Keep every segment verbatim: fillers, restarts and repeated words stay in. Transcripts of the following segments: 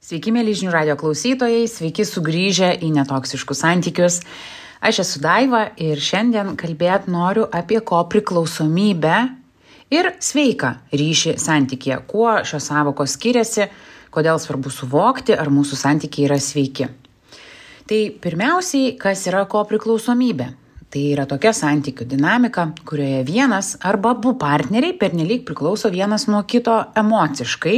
Sveiki, mėly žinių radijo klausytojai, sveiki sugrįžę į netoksiškus santykius. Aš esu Daiva ir šiandien kalbėt noriu apie kopriklausomybę ir sveiką ryšį santykyje. Kuo šios sąvokos skiriasi, kodėl svarbu suvokti, ar mūsų santykiai yra sveiki. Tai pirmiausiai, kas yra kopriklausomybė? Tai yra tokia santykių dinamika, kurioje vienas arba abu partneriai pernelyg priklauso vienas nuo kito emociškai,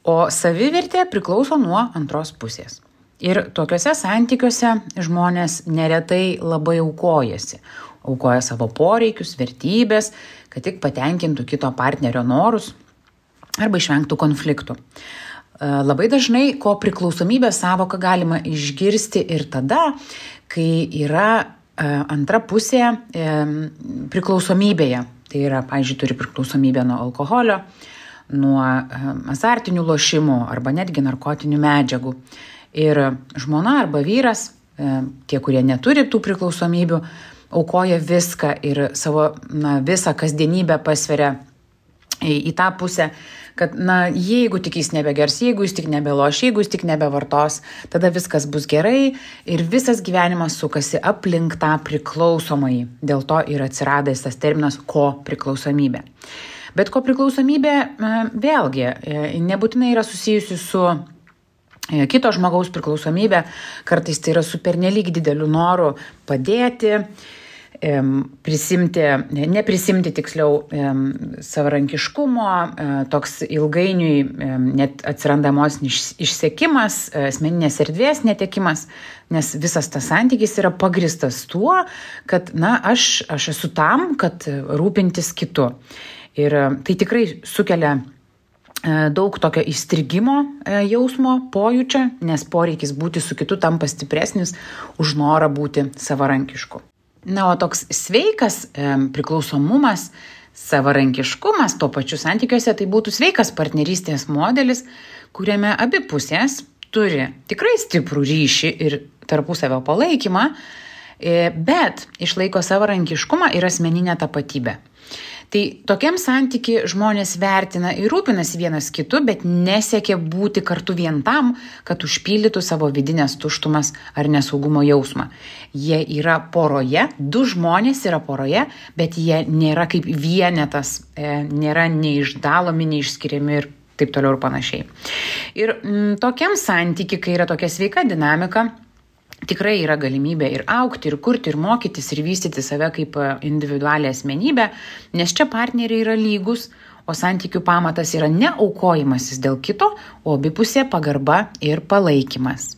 o savivertė priklauso nuo antros pusės. Ir tokiuose santykiuose žmonės neretai labai aukojasi. Aukoja savo poreikius, vertybės, kad tik patenkintų kito partnerio norus arba išvengtų konfliktų. Labai dažnai kopriklausomybės sąvoką galima išgirsti ir tada, kai yra antra pusė priklausomybėje. Tai yra, pavyzdžiui, turi priklausomybę nuo alkoholio, nuo azartinių lošimų arba netgi narkotinių medžiagų. Ir žmona arba vyras, tie, kurie neturi tų priklausomybių, aukoja viską ir savo na, visą kasdienybę pasveria į, į tą pusę, kad na, jeigu tik jis nebegers, jeigu jis tik nebeloš, jeigu jis tik nebevartos, tada viskas bus gerai ir visas gyvenimas sukasi aplink tą priklausomąjį. Dėl to ir atsiradęs tas terminas kopriklausomybė. Bet kopriklausomybė vėlgi nebūtinai yra susijusi su kito žmogaus priklausomybė, kartais tai yra su pernelyg dideliu noru padėti, prisimti, neprisimti tiksliau savarankiškumo, toks ilgainiui net atsiranda emocinis išsekimas, asmeninės erdvės netekimas, nes visas tas santykis yra pagristas tuo, kad na, aš, aš esu tam, kad rūpintis kitu. Ir tai tikrai sukelia daug tokio įstrigimo jausmo, pojūčio, nes poreikis būti su kitu tampa stipresnis už norą būti savarankišku. Na, o toks sveikas priklausomumas, savarankiškumas to pačiu santykiuose, tai būtų sveikas partnerystės modelis, kuriame abi pusės turi tikrai stiprų ryšį ir tarpusavio palaikymą, bet išlaiko savarankiškumą ir asmeninę tapatybę. Tai tokiam santyki žmonės vertina ir rūpinasi vienas kitu, bet nesiekia būti kartu vien tam, kad užpildytų savo vidinės tuštumas ar nesaugumo jausmą. Jie yra poroje, du žmonės yra poroje, bet jie nėra kaip vienetas, nėra neišdalomi, neišskiriami ir taip toliau ir panašiai. Ir m, tokiam santyki, kai yra tokia sveika dinamika, tikrai yra galimybė ir augti, ir kurti, ir mokytis, ir vystyti save kaip individualią asmenybę, nes čia partneriai yra lygus, o santykių pamatas yra ne aukojimasis dėl kito, o abipusė pagarba ir palaikymas.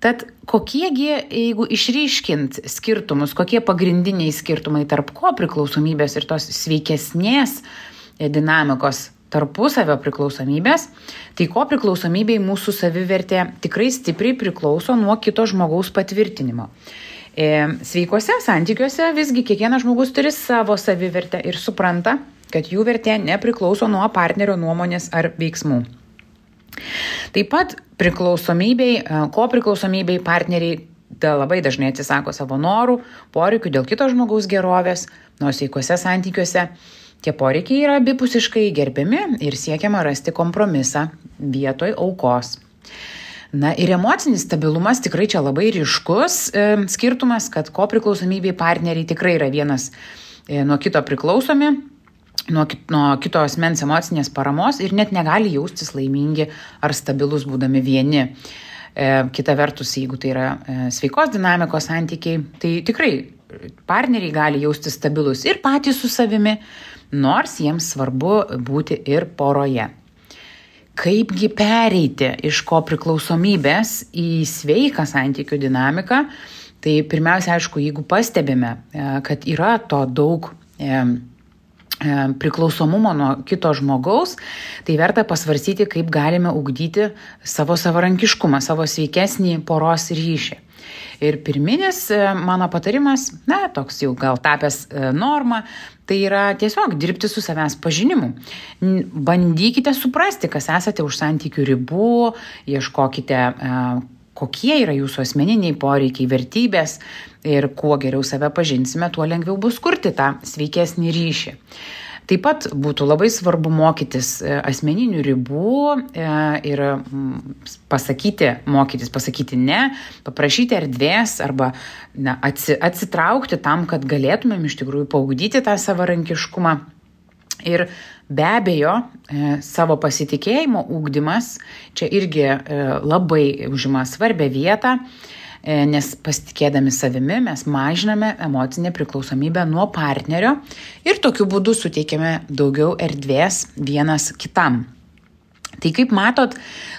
Tad kokiegi, jeigu išryškint skirtumus, kokie pagrindiniai skirtumai tarp kopriklausomybės ir tos sveikesnės dinamikos tarpusavio priklausomybės, tai kopriklausomybei mūsų savivertė tikrai stipriai priklauso nuo kito žmogaus patvirtinimo. E, sveikuose santykiuose visgi kiekvienas žmogus turi savo savivertę ir supranta, kad jų vertė nepriklauso nuo partnerio nuomonės ar veiksmų. Taip pat priklausomybei, kopriklausomybei partneriai da labai dažnai atsisako savo norų, poreikių dėl kito žmogaus gerovės, nors sveikuose santykiuose tie poreikiai yra abipusiškai gerbiami ir siekiama rasti kompromisą vietoj aukos. Na ir emocinis stabilumas tikrai čia labai ryškus e, skirtumas, kad kopriklausomybei partneriai tikrai yra vienas e, nuo kito priklausomi, nuo, nuo kito asmens emocinės paramos ir net negali jaustis laimingi ar stabilus būdami vieni. E, kita vertus, jeigu tai yra e, sveikos dinamikos santykiai, tai tikrai partneriai gali jaustis stabilus ir patys su savimi, nors jiems svarbu būti ir poroje. Kaipgi pereiti iš kopriklausomybės į sveiką santykių dinamiką, tai pirmiausia, aišku, jeigu pastebime, kad yra to daug e, e, priklausomumo nuo kito žmogaus, tai verta pasvarstyti, kaip galime ugdyti savo savarankiškumą, savo sveikesnį poros ryšį. Ir pirminis mano patarimas, na, toks jau gal tapęs norma, tai yra tiesiog dirbti su savęs pažinimu. Bandykite suprasti, kas esate už santykių ribų, ieškokite, kokie yra jūsų asmeniniai poreikiai, vertybės ir kuo geriau save pažinsime, tuo lengviau bus kurti tą sveikesnį ryšį. Taip pat būtų labai svarbu mokytis asmeninių ribų ir pasakyti, mokytis pasakyti ne, paprašyti erdvės arba na, atsitraukti tam, kad galėtumėm iš tikrųjų paugdyti tą savarankiškumą. Ir be abejo, savo pasitikėjimo ugdymas čia irgi labai užima svarbią vietą, nes pasitikėdami savimi mes mažiname emocinę priklausomybę nuo partnerio ir tokiu būdu suteikiame daugiau erdvės vienas kitam. Tai kaip matot,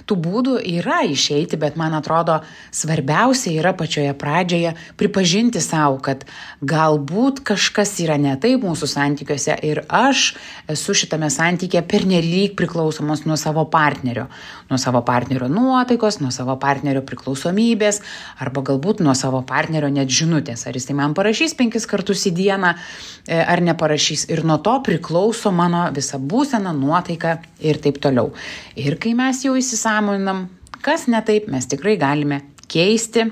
tų būdų yra išeiti, bet man atrodo svarbiausia yra pačioje pradžioje pripažinti savo, kad galbūt kažkas yra ne taip mūsų santykiuose ir aš esu šitame santykyje pernelyg priklausomas nuo savo partnerio, nuo savo partnerio nuotaikos, nuo savo partnerio priklausomybės arba galbūt nuo savo partnerio net žinutės, ar jis tai man parašys penkis kartus į dieną ar neparašys ir nuo to priklauso mano visa būsena, nuotaika ir taip toliau. Ir kai mes jau įsisąmoninam, kas ne taip, mes tikrai galime keisti.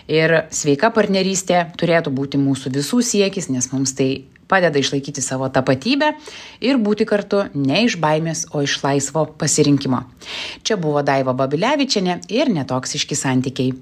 Ir sveika partnerystė turėtų būti mūsų visų siekis, nes mums tai padeda išlaikyti savo tapatybę ir būti kartu ne iš baimės, o iš laisvo pasirinkimo. Čia buvo Daiva Babilevičienė ir Netoksiški santykiai.